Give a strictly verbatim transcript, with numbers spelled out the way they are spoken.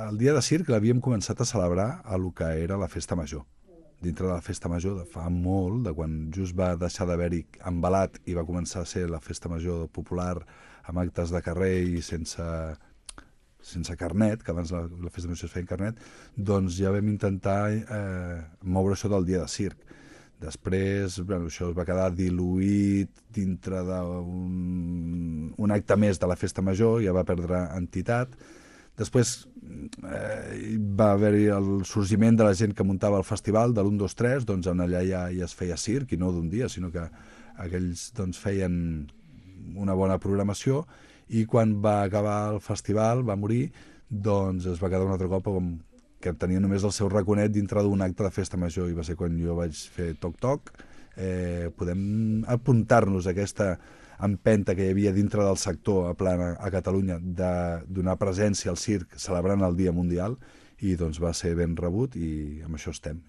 el dia de circ l'havíem començat a celebrar a lo que era la festa major. Dintre de la festa major de fa molt, de quan just va deixar d'haver-hi embalat i va començar a ser la festa major popular amb actes de carrer i sense, sense carnet, que abans la, la festa major es feia en carnet, doncs ja vam intentar eh, moure això del dia de circ. Després, bueno, això es va quedar diluït dintre d'un un acte més de la festa major, ja va perdre entitat. Després eh, va haver-hi el sorgiment de la gent que muntava el festival de l'un, dos, tres, doncs on allà ja, ja es feia circ, i no d'un dia, sinó que aquells doncs, feien una bona programació, i quan va acabar el festival, va morir, doncs es va quedar un altre cop com que tenia només el seu raconet dintre d'un acte de festa major, i va ser quan jo vaig fer toc-toc. Eh, podem apuntar-nos a aquesta empenta que hi havia dintre del sector a plana a Catalunya de donar presència al circ celebrant el Dia Mundial, i doncs va ser ben rebut, i amb això estem.